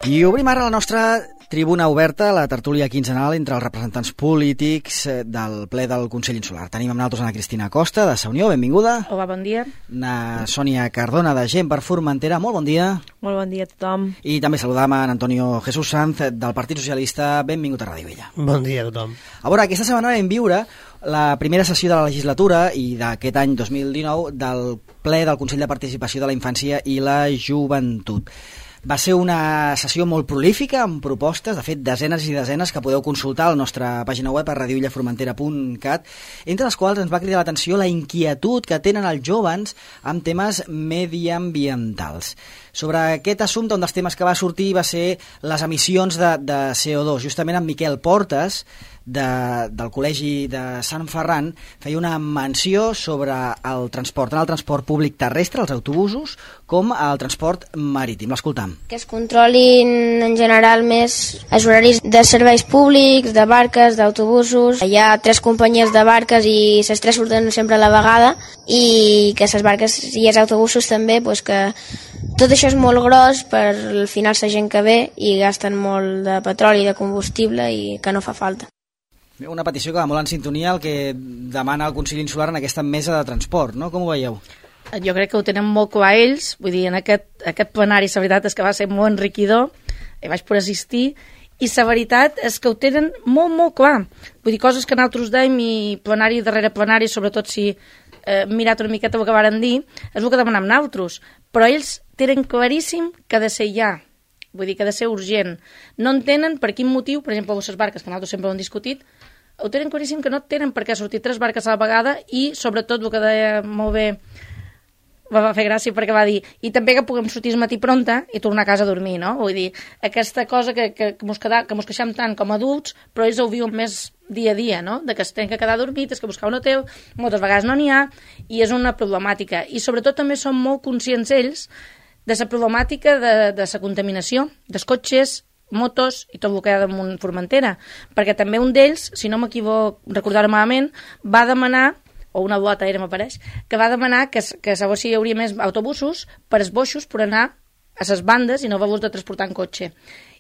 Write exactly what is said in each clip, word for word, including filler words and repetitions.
I obrim ara la nostra tribuna oberta, la tertúlia quinzenal entre els representants polítics del ple del Consell Insular. Tenim amb nosaltres Ana Cristina Costa, de Sa Unió, benvinguda. Hola, bon dia. Na Sònia Cardona, de Gent per Formentera, molt bon dia. Molt bon dia a tothom. I també saludam a Antonio Jesús Sanz, del Partit Socialista, benvingut a Ràdio Vella. Bon dia a tothom. A veure, aquesta setmana vam viure la primera sessió de la legislatura i d'aquest any dos mil dinou del ple del Consell de Participació de la Infància i la Joventut. Va ser una sessió molt prolífica, amb propostes, de fet, desenes i desenes que podeu consultar a la nostra pàgina web a radiovillaformentera punt cat, entre les quals ens va cridar l'atenció la inquietud que tenen els jóvens amb temes mediambientals. Sobre aquest assumpte, un dels temes que va sortir va ser les emissions de, de C O dos. Justament en Miquel Portes, de, del Col·legi de Sant Ferran, feia una menció sobre el transport, tant el transport públic terrestre, els autobusos, com el transport marítim. L'escoltam. Que es controlin en general més els horaris de serveis públics, de barques, d'autobusos. Hi ha tres companyies de barques i les tres surten sempre a la vegada, i que les barques i els autobusos també, doncs que tot això és molt gros, per al final la gent que ve i gasten molt de petroli i de combustible i que no fa falta. Una petició que va molt en sintonia al que demana el Consell Insular en aquesta mesa de transport, no? Com ho veieu? Jo crec que ho tenen molt clar ells, vull dir, en aquest, aquest plenari la veritat és que va ser molt enriquidor, hi vaig poder assistir, i la veritat és que ho tenen molt, molt clar. Vull dir, coses que nosaltres dèiem i plenari darrere plenari, sobretot si eh, mirat una miqueta el que varen dir, és el que demanem nosaltres, però ells tenen claríssim que ha de ser ja, vull dir que ha de ser urgent. No entenen per quin motiu, per exemple, les barques, que nosaltres sempre ho hem discutit, ho tenen claríssim que no tenen per què sortir tres barques a la vegada i, sobretot, el que deia molt bé, va fer gràcia perquè va dir, i també que puguem sortir al matí pronta i tornar a casa a dormir, no? Vull dir, aquesta cosa que, que, que, mos, queda, que mos queixem tant com a adults, però ells ho viuen més dia a dia, no? De que es tenen que quedar dormit, és que buscar un hotel, moltes vegades no n'hi ha, i és una problemàtica. I, sobretot, també són molt conscients ells de la problemàtica de, de la contaminació, dels cotxes, motos i tot el que hi ha damunt Formentera, perquè també un d'ells, si no m'equivoco, recordar-ho malament, va demanar, o una blota era m'apareix, que va demanar que, que llavors hi hauria més autobusos per els boixos per anar a les bandes i no haver-los de transportar en cotxe.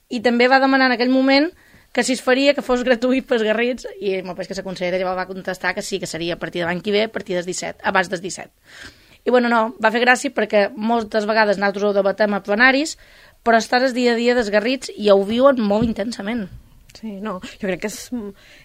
I també va demanar en aquell moment que si es faria que fos gratuït pels garrits, i m'apareix que la consellera ja va contestar que sí, que seria a partir de l'any que ve, a partir del disset, abans del disset. I bueno, no, va fer gràcia perquè moltes vegades nosaltres ho debatem a plenaris, però estar el dia a dia dels garrits i ho viuen molt intensament. Sí, no, jo crec que és,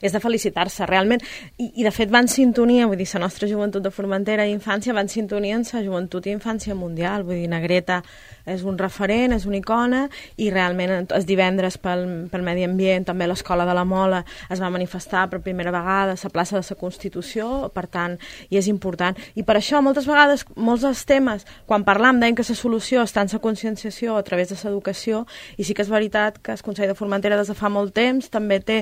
és de felicitar-se, realment. I, I, de fet, va en sintonia, vull dir, la nostra joventut de Formentera i infància va en sintonia amb la joventut i infància mundial. Vull dir, Negreta és un referent, és una icona, i realment els divendres pel, pel medi ambient, també l'Escola de la Mola es va manifestar per primera vegada a la plaça de la Constitució, per tant, i és important. I per això, moltes vegades, molts dels temes, quan parlam, deien que la solució està en la conscienciació a través de l'educació, i sí que és veritat que el Consell de Formentera des de fa molt temps també té,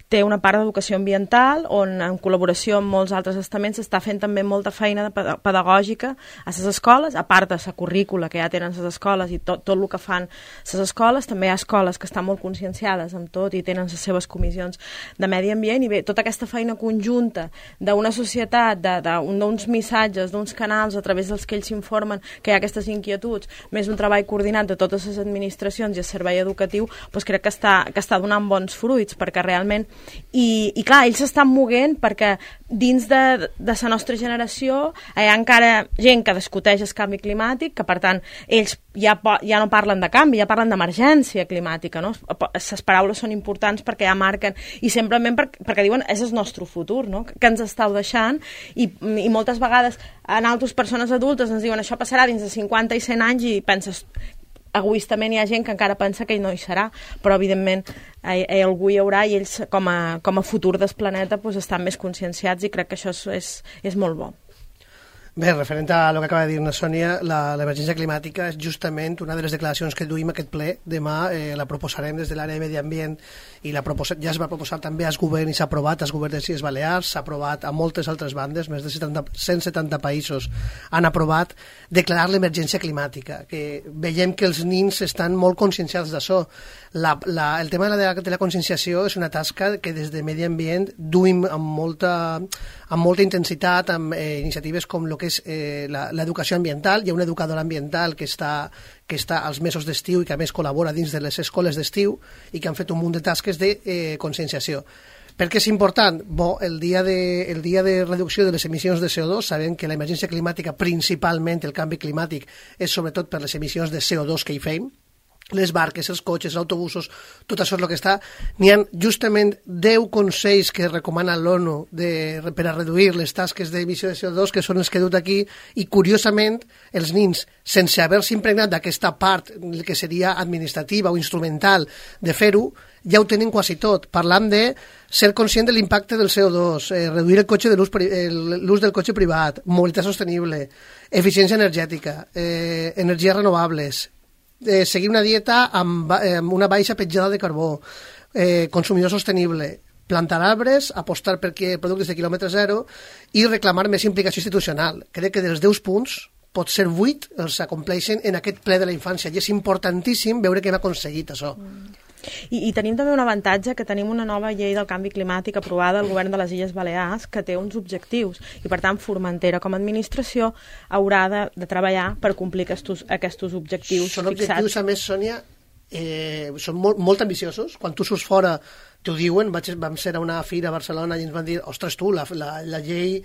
té una part d'educació ambiental on en col·laboració amb molts altres estaments s'està fent també molta feina de pedagògica a les escoles, a part de la currícula que ja tenen les escoles i tot, tot el que fan les escoles. També hi ha escoles que estan molt conscienciades amb tot i tenen les seves comissions de medi ambient, i bé, tota aquesta feina conjunta d'una societat, d'uns missatges, d'uns canals a través dels que ells s'informen que hi ha aquestes inquietuds, més un treball coordinat de totes les administracions i el servei educatiu, doncs crec que està, que està donant bons fruits, perquè realment, i, i clar, ells s'estan moguent perquè dins de, de la nostra generació hi ha encara gent que discuteix el canvi climàtic, que per tant ells ja, ja no parlen de canvi, ja parlen d'emergència climàtica, no? Les paraules són importants perquè ja marquen, i simplement per, perquè diuen és el nostre futur, no? Que ens estàu deixant, i, i moltes vegades en altres persones adultes ens diuen això passarà dins de cinquanta i cent anys, i penses, egoistament hi ha gent que encara pensa que no hi serà, però evidentment hi, hi, algú hi haurà, i ells com a, com a futur del planeta doncs, estan més conscienciats, i crec que això és, és, és molt bo. Bé, referent a el que acaba de dir la Sònia, l'emergència climàtica és justament una de les declaracions que duim a aquest ple. Demà eh, la proposarem des de l'àrea de medi ambient, i la proposa, ja es va proposar també als governs i s'ha aprovat als governs de les Balears, s'ha aprovat a moltes altres bandes, més de setanta, cent setanta països han aprovat declarar l'emergència climàtica, que veiem que els nins estan molt conscienciats d'això. La, la, el tema de la, de la conscienciació és una tasca que des de medi ambient duim amb molta, amb molta intensitat, amb eh, iniciatives com el que que és eh, l'educació ambiental. Hi ha una educadora ambiental que està, que està als mesos d'estiu i que a més col·labora dins de les escoles d'estiu i que han fet un munt de tasques de eh, conscienciació. Per què és important? Bo, el dia, de, el dia de reducció de les emissions de C O dos, sabem que l'emergència climàtica, principalment el canvi climàtic, és sobretot per les emissions de C O dos que hi fem, les barques, els cotxes, els autobusos, tot això és el que està. N'hi ha justament deu consells que recomana l'ONU per a reduir les tasques d'emissió de C O dos, que són els que he dut aquí, i curiosament els nins, sense haver-se impregnat d'aquesta part que seria administrativa o instrumental de fer-ho, ja ho tenen quasi tot. Parlam de ser conscient de l'impacte del C O dos, eh, reduir el cotxe de l'ús del cotxe privat, mobilitat sostenible, eficiència energètica, eh, energies renovables, eh, seguir una dieta amb, eh, amb una baixa petjada de carbó, eh, consumidor sostenible, plantar arbres, apostar per productes de quilòmetre zero i reclamar més implicació institucional. Crec que dels deu punts, pot ser vuit els acompleixen en aquest ple de la infància i és importantíssim veure que hem aconseguit això. Mm. I, I tenim també un avantatge, que tenim una nova llei del canvi climàtic aprovada al govern de les Illes Balears que té uns objectius i per tant Formentera com a administració haurà de, de treballar per complir aquests, aquests objectius són fixats. Objectius, a més, Sònia, eh, són molt, molt ambiciosos. Quan tu surts fora t'ho diuen. Vaig, vam ser a una fira a Barcelona i ens van dir, ostres tu, la, la, la llei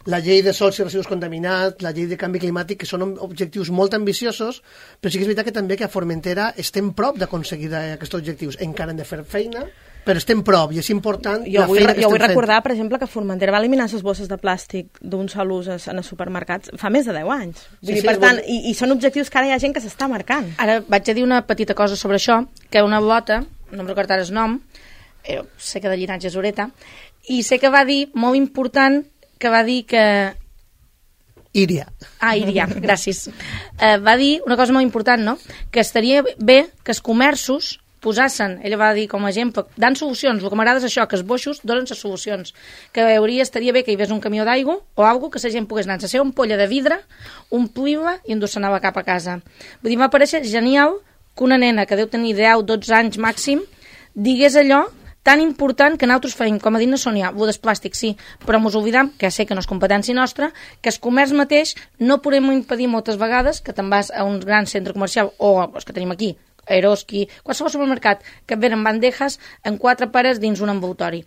la llei de sols i residus contaminats, la llei de canvi climàtic, que són objectius molt ambiciosos, però sí que és veritat que també que a Formentera estem prop d'aconseguir aquests objectius. Encara hem de fer feina, però estem prop i és important jo la vull, feina que jo vull estem recordar, fent. Per exemple, que Formentera va eliminar les bosses de plàstic d'un sol ús en els supermercats fa més de deu anys. Vull Sí, dir, sí, per tant, bon... i, i són objectius que ara hi ha gent que s'està marcant. Ara vaig a dir una petita cosa sobre això, que una blota, no em recordo ara el nom, eh, sé que de llinatge és Oreta, i sé que va dir, molt important, que va dir que... Íria. Ah, Íria, gràcies. Eh, va dir una cosa molt important, no? Que estaria bé que els comerços posassen, ella va dir com a exemple, dan solucions, el que m'agrada és això, que els boixos donen les solucions, que hauria, estaria bé que hi hagués un camió d'aigua o alguna que la gent pogués anar a la seva ampolla de vidre, omplir-la i endur-se-anava cap a casa. Vull dir, m'ha pareixer genial que una nena que deu tenir deu dotze anys màxim digués allò tan important que nosaltres feim, com ha dit la Sònia, el des plàstic sí, però mos oblidam, que sé que no és competència nostra, que el comerç mateix no podem impedir moltes vegades que te'n vas a un gran centre comercial o els que tenim aquí, Eroski, qualsevol supermercat, que et venen bandejas en quatre pares dins un envoltori.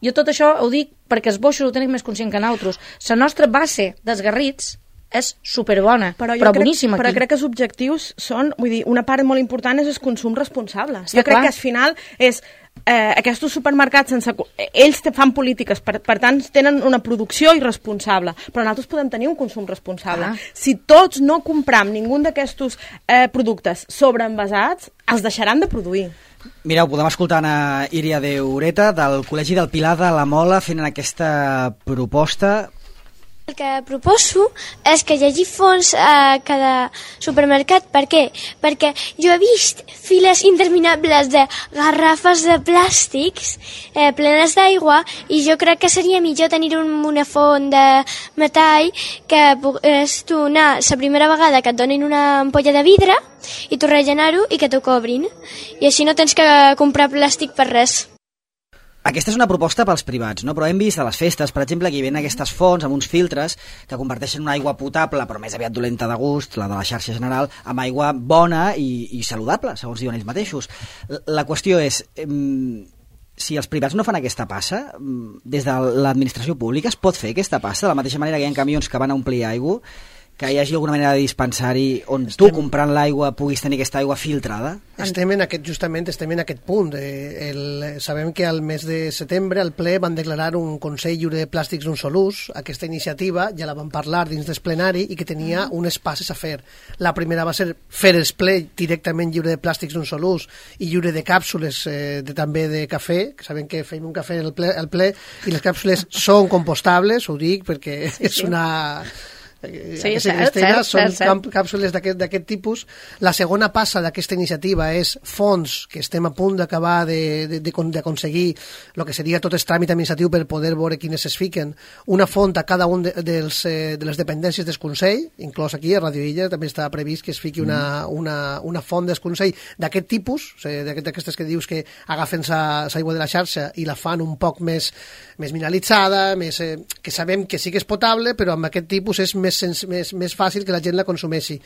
Jo tot això ho dic perquè els boixos ho tenim més conscient que nosaltres. La nostra base d'esgarrits és superbona, però, però crec, boníssima però aquí. crec que els objectius són, vull dir, una part molt important és el consum responsable. Sí, jo crec clar. que al final és eh, aquests supermercats sense, ells te fan polítiques, per, per tant tenen una producció irresponsable, però nosaltres podem tenir un consum responsable. Ah. Si tots no compram ningú d'aquests eh, productes sobreenvasats, els deixaran de produir. Mireu, podem escoltar a Íria de Ureta del Col·legi del Pilar de la Mola fent aquesta proposta. El que proposo és que hi hagi fons a cada supermercat. Per què? Perquè jo he vist files interminables de garrafes de plàstics eh, plenes d'aigua i jo crec que seria millor tenir un, una font de metall que pogués tu anar la primera vegada que et donin una ampolla de vidre i tu rellenar-ho i que t'ho cobrin. I així no tens que comprar plàstic per res. Aquesta és una proposta pels privats, no? Però hem vist a les festes, per exemple, que hi ven aquestes fonts amb uns filtres que converteixen una aigua potable, però més aviat dolenta de gust, la de la xarxa general, amb aigua bona i, i saludable, segons diuen ells mateixos. La qüestió és, eh, si els privats no fan aquesta passa, des de l'administració pública es pot fer aquesta passa, de la mateixa manera que hi ha camions que van a omplir aigua, que hi hagi alguna manera de dispensari on tu, comprant l'aigua, puguis tenir aquesta aigua filtrada? Estem en aquest, justament estem en aquest punt. Eh, el, sabem que al mes de setembre al ple van declarar un Consell Lliure de Plàstics d'un sol ús. Aquesta iniciativa ja la van parlar dins del plenari i que tenia unes passes a fer. La primera va ser fer el ple directament lliure de plàstics d'un sol ús i lliure de càpsules eh, de, també de cafè, que sabem que fem un cafè al ple, al ple i les càpsules són compostables, ho dic perquè sí, és una... Sí, cert, cert, són cert, cert. càpsules d'aquest tipus. La segona passa d'aquesta iniciativa és fons, que estem a punt d'acabar d'aconseguir el que seria tot el tràmit administratiu per poder veure quines es fiquen, una font a cada un de, dels, de les dependències del Consell, inclòs aquí a Radio Illa també està previst que es fiqui una, una, una font del Consell d'aquest tipus, d'aquestes que dius que agafen l'aigua de la xarxa i la fan un poc més, més mineralitzada, més, eh, que sabem que sí que és potable, però amb aquest tipus és més més, més, més fàcil que la gent la consumeixi.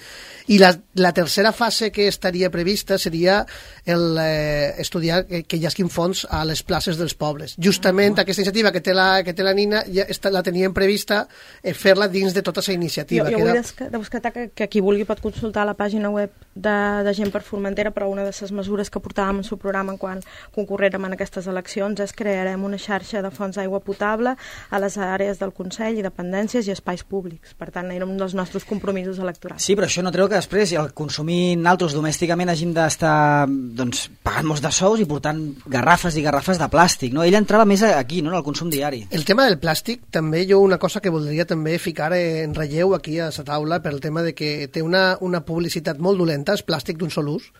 I la, la tercera fase que estaria prevista seria el, eh, estudiar que, que hi hagi fons a les places dels pobles. Justament uh-huh. aquesta iniciativa que té la, que té la Nina ja està, la teníem prevista eh, fer-la dins de tota aquesta iniciativa. Jo, jo que vull era... destacar que, que qui vulgui pot consultar la pàgina web de, de Gent per Formentera, però una de les mesures que portàvem en el seu programa quan concorrerem en aquestes eleccions és crearem una xarxa de fonts d'aigua potable a les àrees del Consell i dependències i espais públics. Per tant, era un dels nostres compromisos electorals. Sí, però això no treu que després, al consumir naltros domèsticament, hàgim d'estar doncs, pagant molts de sous i portant garrafes i garrafes de plàstic, no? Ell entrava més aquí, no?, en el consum diari. El tema del plàstic, també jo una cosa que voldria també ficar en relleu aquí a la taula per el tema de que té una, una publicitat molt dolenta, és plàstic d'un sol ús,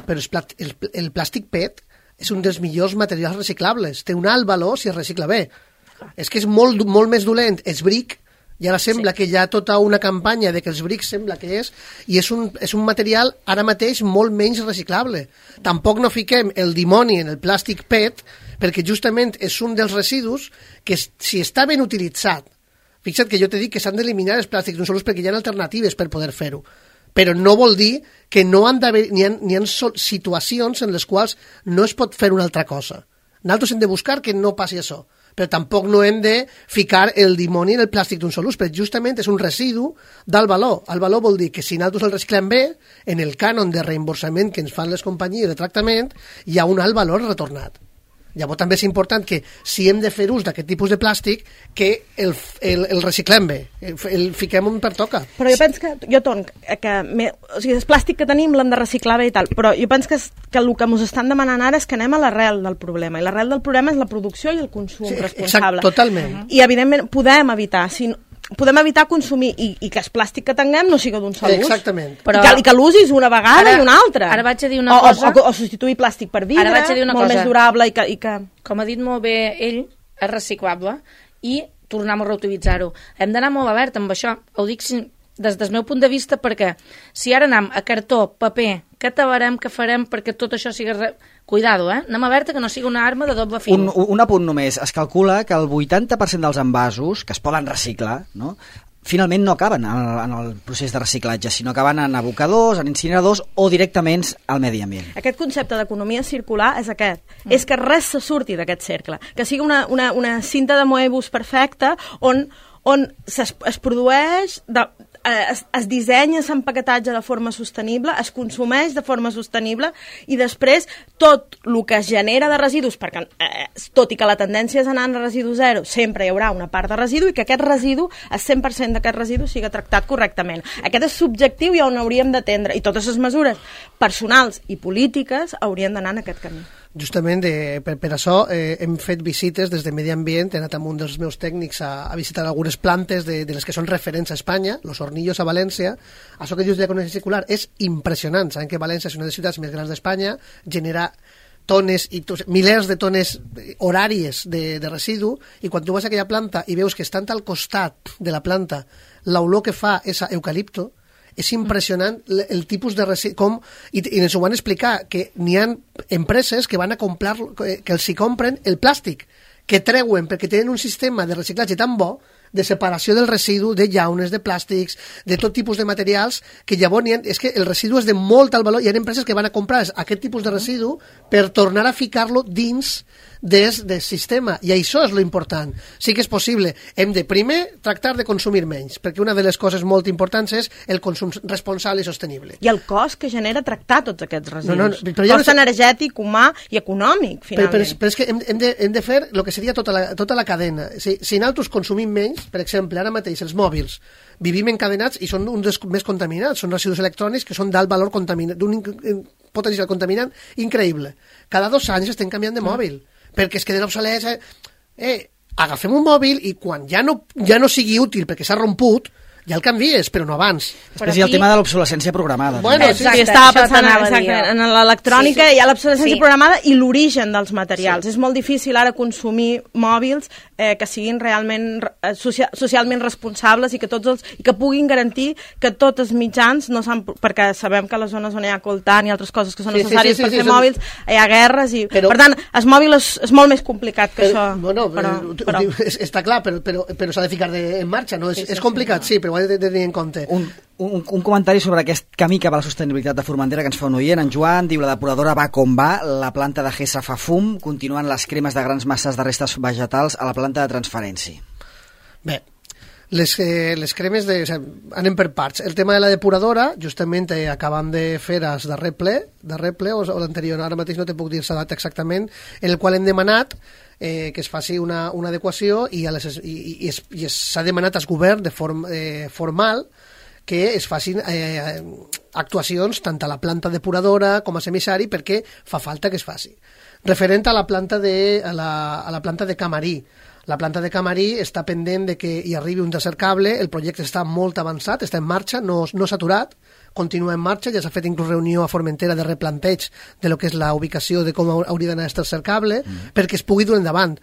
però és plàstic, el, el plàstic P E T és un dels millors materials reciclables, té un alt valor si es recicla bé. És que és molt, molt més dolent, és bric, i ara sembla sí. que hi ha tota una campanya de que els brics sembla que és, i és un, és un material ara mateix molt menys reciclable. Tampoc no fiquem el dimoni en el plàstic P E T, perquè justament és un dels residus que si està ben utilitzat, fixa't que jo t'he dit que s'han d'eliminar els plàstics d'un sol ús perquè hi ha alternatives per poder fer-ho, però no vol dir que no han d'haver, n'hi ha, n'hi ha situacions en les quals no es pot fer una altra cosa. Nosaltres hem de buscar que no passi això, però tampoc no hem de ficar el dimoni en el plàstic d'un sol ús, perquè justament és un residu d'alt valor. El valor vol dir que si nosaltres el reciclem bé, en el cànon de reemborsament que ens fan les companyies de tractament, hi ha un alt valor retornat. Llavors també és important que si hem de fer ús d'aquest tipus de plàstic que el, el, el reciclem bé, el, el fiquem on pertoca. Però jo penso que, jo ton, que me, o sigui, el plàstic que tenim l'hem de reciclar bé i tal, però jo penso que, que el que ens estan demanant ara és que anem a l'arrel del problema, i l'arrel del problema és la producció i el consum sí, responsable. Exacte, totalment. I evidentment podem evitar, si podem evitar consumir i, i que el plàstic que tinguem no sigui d'un sol ús. Exactament. Però... I que, que l'usis una vegada ara, i una altra. Ara vaig a dir una o, cosa... O, o, o substituir plàstic per vidre, ara vaig a dir una molt cosa. més durable i que, i que... Com ha dit molt bé ell, és reciclable i tornem a reutilitzar-ho. Hem d'anar molt alert amb això. Ho dic des del meu punt de vista perquè si ara anem a cartó, paper, què tabarem, què farem perquè tot això sigui... Re... Cuidado, eh? Anem a veure que no sigui una arma de doble fil. Un, un apunt només. Es calcula que el vuitanta per cent dels envasos que es poden reciclar, no?, finalment no acaben en el, en el procés de reciclatge, sinó acaben en abocadors, en incineradors o directament al medi ambient. Aquest concepte d'economia circular és aquest, mm. és que res se surti d'aquest cercle, que sigui una, una, una cinta de moebus perfecta on, on es, es produeix... De, Es, es dissenya l'empaquetatge de forma sostenible, es consumeix de forma sostenible i després tot el que es genera de residus, perquè eh, tot i que la tendència és anar a residu zero, sempre hi haurà una part de residu i que aquest residu, el cent per cent d'aquest residu sigui tractat correctament. Aquest és subjectiu i on hauríem d'atendre, i totes les mesures personals i polítiques haurien d'anar en aquest camí. Justament de, per, per això eh, hem fet visites des de Medi Ambient, he anat amb un dels meus tècnics a, a visitar algunes plantes de, de les que són referents a Espanya, Los Hornillos a València. Això que dius d'economia circular és impressionant. Sabem que València és una de les ciutats més grans d'Espanya, genera tones i tos, milers de tones horàries de, de residu, i quan tu vas a aquella planta i veus que estan al costat de la planta l'olor que fa és a eucalipto, és impressionant el, el tipus de residu, com, i, i ens ho van explicar, que n'hi ha empreses que van a comprar, que, que els hi compren el plàstic, que treuen perquè tenen un sistema de reciclatge tan bo, de separació del residu, de llaunes, de plàstics, de tot tipus de materials, que llavors ha, és que el residu és de molt alt valor, hi ha empreses que van a comprar aquest tipus de residu per tornar a ficar-lo dins des del sistema, i això és lo important. Sí que és possible, hem de primer tractar de consumir menys, perquè una de les coses molt importants és el consum responsable i sostenible. I el cost que genera tractar tots aquests residus. No, no, però ja cost no... energètic, humà i econòmic, finalment. Però, però, però és que hem, hem, de, hem de fer el que seria tota la, tota la cadena. Si, si nosaltres consumim menys, per exemple, ara mateix els mòbils, vivim encadenats i són un dels més contaminats, són residus electrònics que són d'alt valor contaminant, d'un potencial contaminant increïble. Cada dos anys estem canviant de mòbil, perquè es queden obsolets. Eh, eh, agafem un mòbil i quan ja no, ja no sigui útil perquè s'ha romput, ja el canvies, però no abans. Després hi ha el tema de l'obsolescència programada. Bueno, sí, sí, estava pensant exacte, en l'electrònica, sí, sí. Hi ha l'obsolescència sí. programada i l'origen dels materials. Sí. És molt difícil ara consumir mòbils eh, que siguin realment eh, socia socialment responsables i que tots els, i que puguin garantir que tots els mitjans no s'han... Perquè sabem que a les zones on hi ha coltant i altres coses que són sí, necessàries sí, sí, sí, per sí, fer sí, mòbils, sí. hi ha guerres i... Però, per tant, el mòbil és, és molt més complicat que però, això. Bueno, però, però, però... És, està clar, però, però, però s'ha de ficar de, en marxa, no? És, és complicat, sí, però ho he de tenir en compte. Un, un, un comentari sobre aquest camí cap a la sostenibilitat de Formentera que ens fa un oient. En Joan diu: la depuradora va com va, la planta de Gessa fa fum, continuen les cremes de grans masses de restes vegetals a la planta de transferència. Bé, les, eh, les cremes de, o sigui, anem per parts. El tema de la depuradora, justament eh, acabam de fer el darrer ple, darrer ple o, o l'anterior, ara mateix no te puc dir la data exactament, en el qual hem demanat eh, que es faci una, una adequació i, a les, i, i, es, i s'ha demanat al govern de form, eh, formal que es facin eh, actuacions tant a la planta depuradora com a semissari perquè fa falta que es faci. Referent a la planta de, a la, a la planta de Camarí, la planta de Camarí està pendent de que hi arribi un tercer cable, el projecte està molt avançat, està en marxa, no, no s'ha aturat, continua en marxa, ja s'ha fet inclús reunió a Formentera de replanteig de lo que és la ubicació de com hauria d'anar el tercer cable, mm. perquè es pugui dur endavant.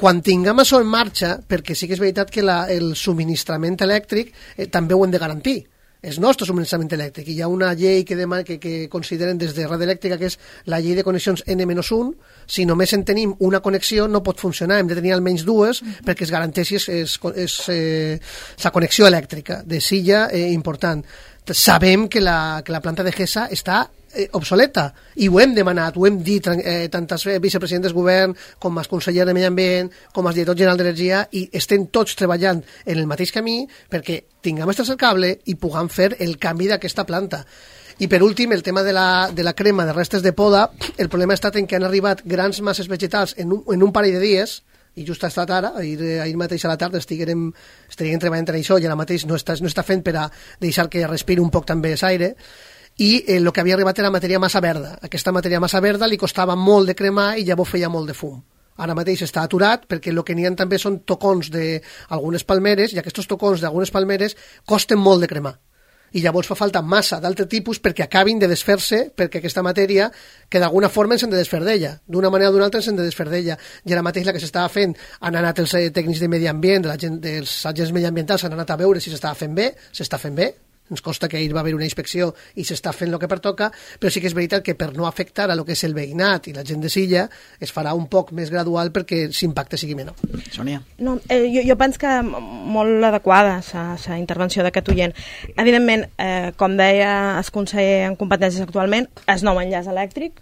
Quan tinguem això en marxa, perquè sí que és veritat que la, el subministrament elèctric eh, també ho hem de garantir, és nostre subministrament elèctric. Hi ha una llei que, demana, que, que consideren des de Red Elèctrica, que és la llei de connexions ene menys un. Si només en tenim una connexió no pot funcionar, hem de tenir almenys dues mm-hmm. perquè es garanteixi es, es, es, eh, la connexió elèctrica de silla eh, important. Sabem que la, que la planta de Gessa està eh, obsoleta i ho hem demanat, ho hem dit eh, tant els vicepresidents del govern com els consellers de Medi Ambient com els directors generals d'Energia, i estem tots treballant en el mateix camí perquè tinguem el tercer cable i puguem fer el canvi d'aquesta planta. I per últim, el tema de la, de la crema de restes de poda, el problema ha estat en que han arribat grans masses vegetals en un, en un parell de dies, i just ha estat ara, ahir, ahir mateix a la tarda estiguem, estiguem treballant en això i ara mateix no està, no està fent per a deixar que respiri un poc també l'aire, i el eh, que havia arribat era matèria massa verda. Aquesta matèria massa verda li costava molt de cremar i llavors feia molt de fum. Ara mateix està aturat perquè el que n'hi ha també són tocons d'algunes palmeres, i aquests tocons d'algunes palmeres costen molt de cremar. I llavors fa falta massa d'altre tipus perquè acabin de desfer-se, perquè aquesta matèria que d'alguna forma ens hem de desfer d'ella, d'una manera o d'una altra ens hem de desfer d'ella. I ara mateix la que s'estava fent, han anat els tècnics de medi ambient, de la gent, dels agents mediambientals, han anat a veure si s'estava fent bé, s'està fent bé, ens consta que ahir va haver una inspecció i s'està fent el que pertoca, però sí que és veritat que per no afectar a lo que és el veïnat i la gent de Silla es farà un poc més gradual perquè l'impacte sigui menor. Sònia? No, eh, jo, jo penso que molt adequada la intervenció d'aquest oient. Evidentment, eh, com deia el conseller en competències actualment, és nou enllaç elèctric,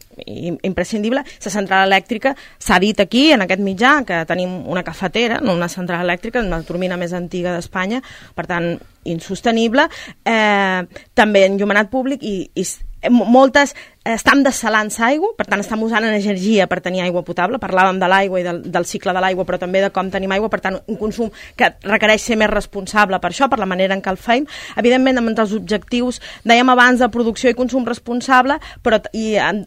imprescindible. La central elèctrica s'ha dit aquí, en aquest mitjà, que tenim una cafetera, no una central elèctrica, una turbina més antiga d'Espanya, per tant, insostenible, eh, també enllumenat públic i, i moltes estem dessalant aigua, per tant estem usant energia per tenir aigua potable. Parlàvem de l'aigua i del, del cicle de l'aigua, però també de com tenim aigua, per tant un consum que requereix ser més responsable per això, per la manera en què el feim. Evidentment, amb els objectius, dèiem abans, de producció i consum responsable, però i en,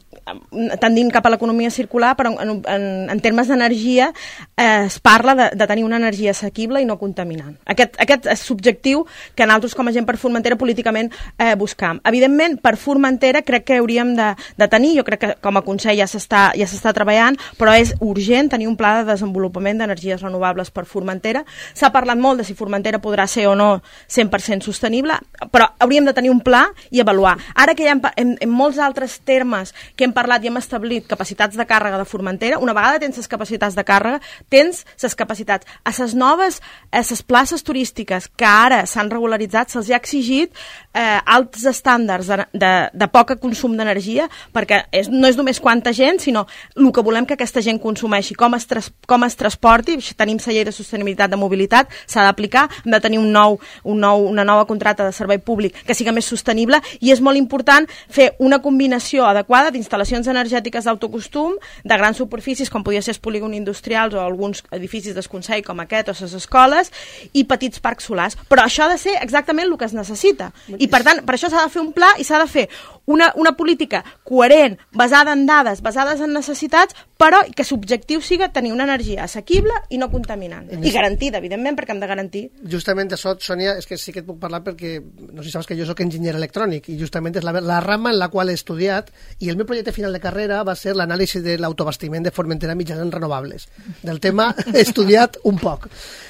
tendint cap a l'economia circular, però en, en, en termes d'energia eh, es parla de, de tenir una energia assequible i no contaminant. Aquest, aquest és l'objectiu que nosaltres com a gent per Formentera políticament eh, buscam. Evidentment, per Formentera crec que hauríem de, de tenir, jo crec que com a Consell ja s'està ja s'està treballant, però és urgent tenir un pla de desenvolupament d'energies renovables per Formentera. S'ha parlat molt de si Formentera podrà ser o no cent per cent sostenible, però hauríem de tenir un pla i avaluar. Ara que ja hem, en, en molts altres termes que hem parlat i hem establit capacitats de càrrega de Formentera, una vegada tens les capacitats de càrrega, tens les capacitats. A les noves, a les places turístiques que ara s'han regularitzat, se'ls ha exigit eh, alts estàndards de, de, de poca consum d'energia, perquè és, no és només quanta gent, sinó el que volem que aquesta gent consumeixi, com es, tras, com es transporti. Tenim la llei de sostenibilitat de mobilitat, s'ha d'aplicar, hem de tenir un nou, un nou, una nova contracta de servei públic que sigui més sostenible, i és molt important fer una combinació adequada d'instal·lacions energètiques d'autoconsum, de grans superfícies, com podria ser els polígons industrials o alguns edificis del Consell com aquest, o les escoles, i petits parcs solars. Però això ha de ser exactament el que es necessita. I per tant, per això s'ha de fer un pla i s'ha de fer una, una política coherent, basada en dades, basades en necessitats, però que l'objectiu sigui tenir una energia assequible i no contaminant. I garantida, evidentment, perquè hem de garantir. Justament això, Sònia, és que sí que et puc parlar perquè, no sé si saps que jo soc enginyer electrònic, i justament és la, la rama en la qual he estudiat, i el meu projecte final de carrera va ser l'anàlisi de l'autobastiment de Formentera mitjançant renovables. Del tema he estudiat un poc.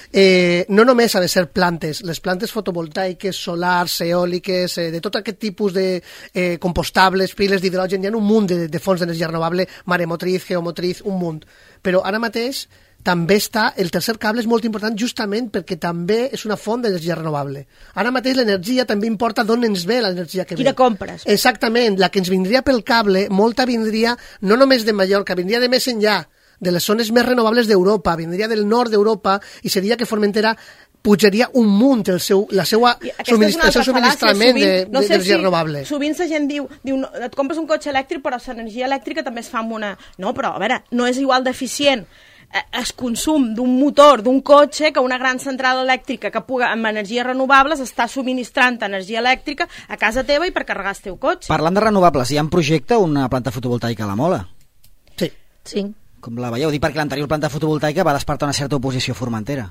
Eh, no només ha de ser plantes, les plantes fotovoltaiques, solars, eòliques, eh, de tot aquest tipus de eh, compostables, piles d'hidrogen, hi ha un munt de, de fonts d'energia renovable, maremotriz, geomotriz, un munt. Però ara mateix també està, el tercer cable és molt important justament perquè també és una font d'energia renovable. Ara mateix l'energia també importa d'on ens ve l'energia que ve. Quina compres? Exactament, la que ens vindria pel cable, molta vindria no només de Mallorca, vindria de més enllà, de les zones més renovables d'Europa, vindria del nord d'Europa i seria que Formentera pujaria un munt el seu, la seva subministra, el seu subministrament d'energia no sé si, renovable. Sovint la gent diu, diu no, et compres un cotxe elèctric però l'energia elèctrica també es fa amb una... No, però a veure, no és igual d'eficient el consum d'un motor, d'un cotxe, que una gran central elèctrica que puga, amb energies renovables està subministrant energia elèctrica a casa teva i per carregar el teu cotxe. Parlant de renovables, hi ha en projecte una planta fotovoltaica a la Mola? Sí. Sí. Com la veieu? Dic perquè l'anterior planta fotovoltaica va despertar una certa oposició a Formentera.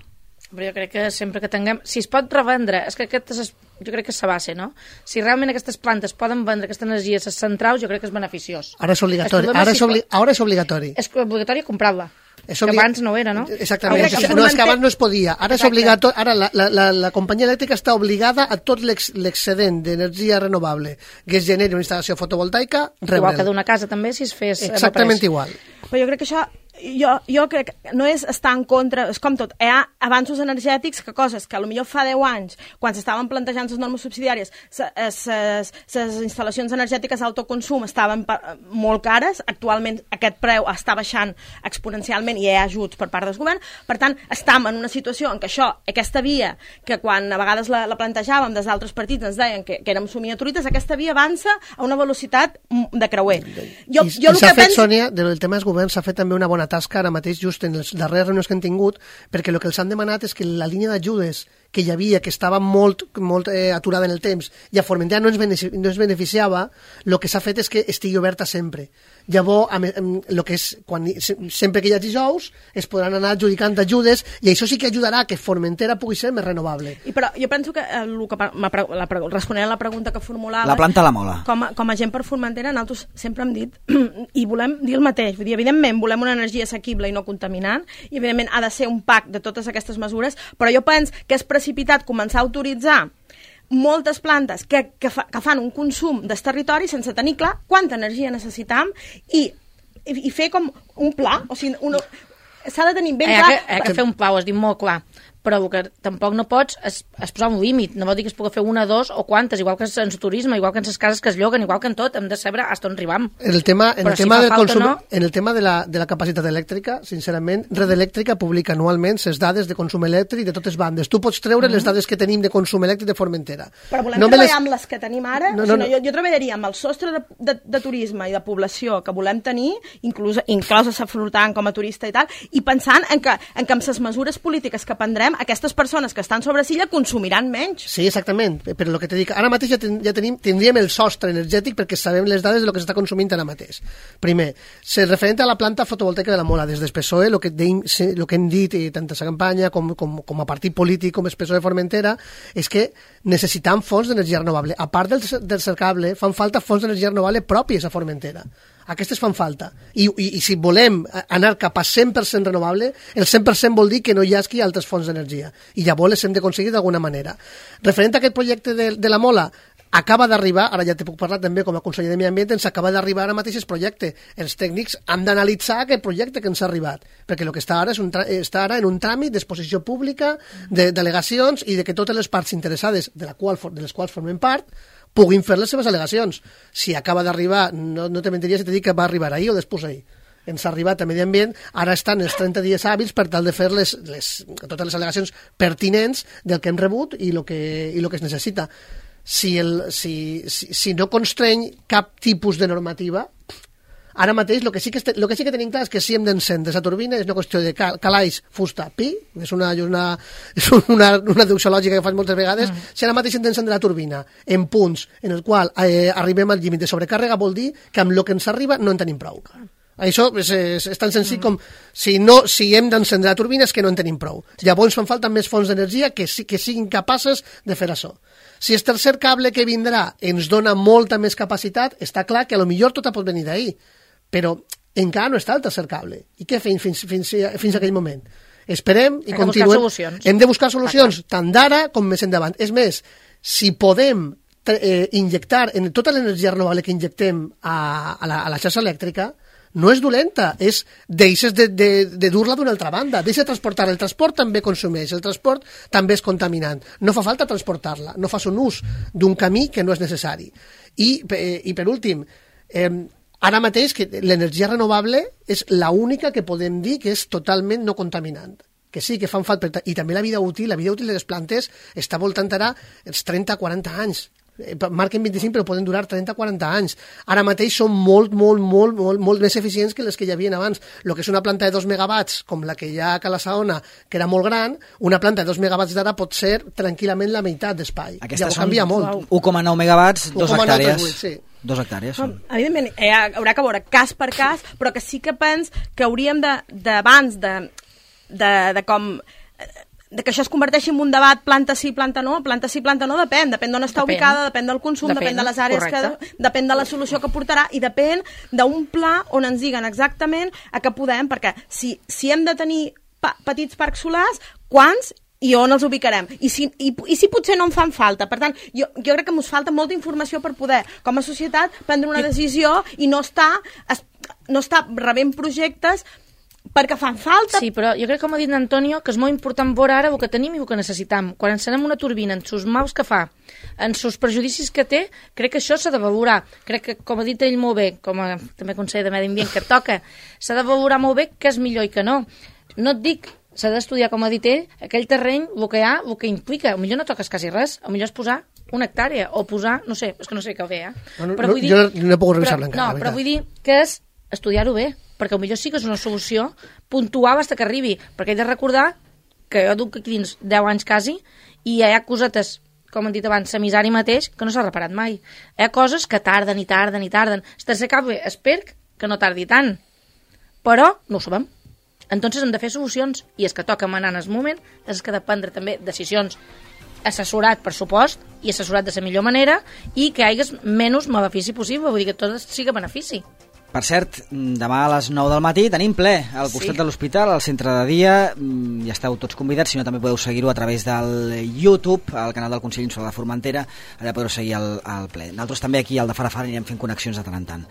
Però jo crec que sempre que tinguem... Si es pot revendre, és que aquest és, jo crec que és la base, no? Si realment aquestes plantes poden vendre aquesta energia a les centrals, jo crec que és beneficiós. Ara és obligatori. Ara és, obli... Ara és obligatori. És obligatori comprar-la. És obli... Que abans no era, no? Exactament. O sigui, no, és que abans no es podia. Ara és obligatori. Ara la, la, la, la companyia elèctrica està obligada a tot l'excedent d'energia renovable que es generi una instal·lació fotovoltaica, rebel. Igual que d'una casa també, si es fes... Exactament igual. Però jo crec que això... Jo, jo crec que no és estar en contra, és com tot, hi ha avanços energètics que coses que potser fa deu anys, quan s'estaven plantejant les normes subsidiàries, les instal·lacions energètiques d'autoconsum estaven molt cares, actualment aquest preu està baixant exponencialment i hi ha ajuts per part del govern, per tant, estem en una situació en què això, aquesta via, que quan a vegades la, la plantejàvem des d'altres partits ens deien que, que érem somiaturites, aquesta via avança a una velocitat de creuer. Jo, I, jo i s'ha fet, penso... Sònia, del tema dels governs s'ha fet també una bona tasca ara mateix just en les darreres reunions que han tingut, perquè el que els han demanat és que la línia d'ajudes que hi havia, que estava molt, molt eh, aturada en el temps, i a Formentera no ens, benefici, no ens beneficiava, el que s'ha fet és que estigui oberta sempre. Llavors, amb, amb, lo que és, quan, sempre que hi hagi dijous, es podran anar adjudicant ajudes, i això sí que ajudarà que Formentera pugui ser més renovable. I però jo penso que, el que la, responent a la pregunta que formulava... La planta a la Mola. Com a, com a gent per Formentera, nosaltres sempre hem dit, i volem dir el mateix, vull dir, evidentment volem una energia assequible i no contaminant, i evidentment ha de ser un pack de totes aquestes mesures, però jo penso que és precipitat començar a autoritzar moltes plantes que, que, fa, que fan un consum del territori sense tenir clar quanta energia necessitem i, i, i fer com un pla, o sigui, una, s'ha de tenir ben eh, clar... Hi ha que fer un pla, ho has dit molt clar, però el que tampoc no pots és, és posar un límit, no vol dir que es pugui fer una, dos o quantes, igual que en el turisme, igual que en les cases que es lloguen, igual que en tot, hem de saber fins on arribam. En el tema, en el si tema del consum, no... en el tema de la, de la capacitat elèctrica, sincerament, Red Elèctrica publica anualment les dades de consum elèctric de totes bandes. Tu pots treure mm-hmm. les dades que tenim de consum elèctric de Formentera. Però volem no treballar les... amb les que tenim ara? No, no, o sigui, no, jo, jo treballaria amb el sostre de, de, de turisme i de població que volem tenir, inclús, inclòs a Safrutant com a turista i tal, i pensant en que, en que amb les mesures polítiques que prendrem, aquestes persones que estan sobre silla consumiran menys. Sí, exactament, però el que te dic, ara mateix ja, ten, ja tenim, tindríem el sostre energètic perquè sabem les dades de lo que s'està consumint ara mateix. Primer, se referent a la planta fotovoltaica de la Mola, des del P S O E, el que, deim, lo que hem dit, i tant a la campanya com, com, com a partit polític, com el P S O E Formentera, és que necessitam fonts d'energia renovable. A part del, del cercable, fan falta fonts d'energia renovable pròpies a Formentera. Aquestes fan falta. I, i, i si volem anar cap a cent per cent renovable, el cent per cent vol dir que no hi hagi altres fonts d'energia. I llavors les hem d'aconseguir d'alguna manera. Referent a aquest projecte de, de la Mola, acaba d'arribar, ara ja te puc parlar també com a conseller de Medi Ambient, ens acaba d'arribar ara mateix el projecte. Els tècnics han d'analitzar aquest projecte que ens ha arribat, perquè el que està ara, és un està ara en un tràmit d'exposició pública, de delegacions i de que totes les parts interessades, de, la qual, de les quals formem part, puguin fer les seves al·legacions. Si acaba d'arribar, no, no te mentiria si te dic que va arribar ahir o després ahir. Ens ha arribat a Medi Ambient, ara estan els trenta dies hàbils per tal de fer les, les, totes les al·legacions pertinents del que hem rebut i el que, i lo que es necessita. Si, el, si, si, si no constreny cap tipus de normativa, ara mateix el que, sí que, lo que sí que tenim clar és que si hem d'encendre la turbina és una qüestió de cal, calaix, fusta, pi, és una, una, és una, una deducció lògica que fas moltes vegades, mm. si ara mateix hem d'encendre la turbina en punts en el qual eh, arribem al límit de sobrecàrrega, vol dir que amb el que ens arriba no en tenim prou. Això és, és, és tan senzill com si, no, si hem d'encendre la turbina és que no en tenim prou. Llavors fan falta més fonts d'energia que, que siguin capaces de fer això. Si el tercer cable que vindrà ens dona molta més capacitat, està clar que a lo millor tot pot venir d'ahir, però encara no està el tercer cable. I què fem fins, fins, fins a aquell moment? Esperem i continuem. Hem de buscar solucions, tant d'ara com més endavant. És més, si podem eh, injectar en tota l'energia renovable que injectem a, a, la, a la xarxa elèctrica, no és dolenta, és deixes de, de, de dur-la d'una altra banda, deixa de transportar. El transport també consumeix, el transport també és contaminant. No fa falta transportar-la, no fas un ús d'un camí que no és necessari. I, eh, i per últim, eh, ara mateix que l'energia renovable és l'única que podem dir que és totalment no contaminant. Que sí, que fan falta, i també la vida útil, la vida útil de les plantes està voltant ara els trenta a quaranta anys. Marquen vint-i-cinc però poden durar trenta a quaranta anys. Ara mateix són molt, molt, molt, molt, molt més eficients que les que hi havia abans. El que és una planta de dos megawatts, com la que hi ha a Cala Saona, que era molt gran, una planta de dos megawatts d'ara pot ser tranquil·lament la meitat d'espai. Llavors canvia molt. u coma nou megawatts, dos hectàrees. Sí. Dos hectàrees són. Evidentment, eh, haurà que veure cas per cas, però que sí que pens que hauríem d'abans de, de, de, de com... de que això es converteixi en un debat planta sí, planta no, planta sí, planta no, depèn, depèn d'on està depèn. ubicada, depèn del consum, depèn, depèn de les àrees, correcte. que depèn de la solució que portarà i depèn d'un pla on ens diguen exactament a què podem, perquè si, si hem de tenir pa petits parcs solars, quants i on els ubicarem, I si, i, i si potser no en fan falta. Per tant, jo, jo crec que ens falta molta informació per poder, com a societat, prendre una decisió i no estar, es, no estar rebent projectes perquè fan falta. Sí, però jo crec, com ha dit Antonio, que és molt important veure ara el que tenim i el que necessitam. Quan encenem una turbina, en sus maus que fa, en sus prejudicis que té, crec que això s'ha de valorar. Crec que, com ha dit ell molt bé, com a també conseller de Medi Ambient que toca, s'ha de valorar molt bé què és millor i què no. No et dic, s'ha d'estudiar, com ha dit ell, aquell terreny, el que hi ha, el que implica. A millor no toques quasi res, a millor és posar una hectàrea, o posar, no sé, és que no sé què ve, eh? No, no, però vull dir, jo no he pogut revisar-la encara. No, però vull dir que és estudiar-ho bé, perquè potser sí que és una solució puntual fins que arribi, perquè he de recordar que jo duc aquí dins deu anys quasi i hi ha cosetes, com hem dit abans, a Misari mateix, que no s'ha reparat mai. Hi ha coses que tarden i tarden i tarden. Tercer cap bé, espero que no tardi tant, però no ho sabem. Entonces hem de fer solucions i és que toca manar en el moment, és que ha de prendre també decisions assessorat, per supost, i assessorat de la millor manera i que hi hagués menys benefici possible, vull dir que tot sigui benefici. Per cert, demà a les nou del matí tenim ple al costat sí. de l'hospital, al centre de dia. Ja esteu tots convidats, si no també podeu seguir-ho a través del YouTube, al canal del Consell Insular de Formentera, allà podeu seguir el, el ple. Nosaltres també aquí al de Fara Fara anirem fent connexions de tant en tant.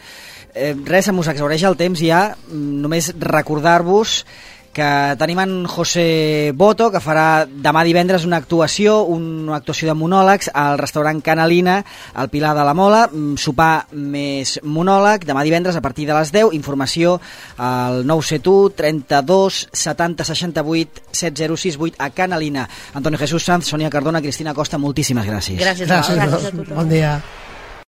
Eh, res, em us exhaureix el temps ja, només recordar-vos que tenim en José Boto, que farà demà divendres una actuació, una actuació de monòlegs al restaurant Canalina, al Pilar de la Mola, sopar més monòleg, demà divendres a partir de les deu, informació al nou set u, trenta-dos, setanta, seixanta-vuit, set zero sis vuit a Canalina. Antonio Jesús Sanz, Sònia Cardona, Cristina Costa, moltíssimes gràcies. Gràcies, gràcies, gràcies a tothom. Bon dia.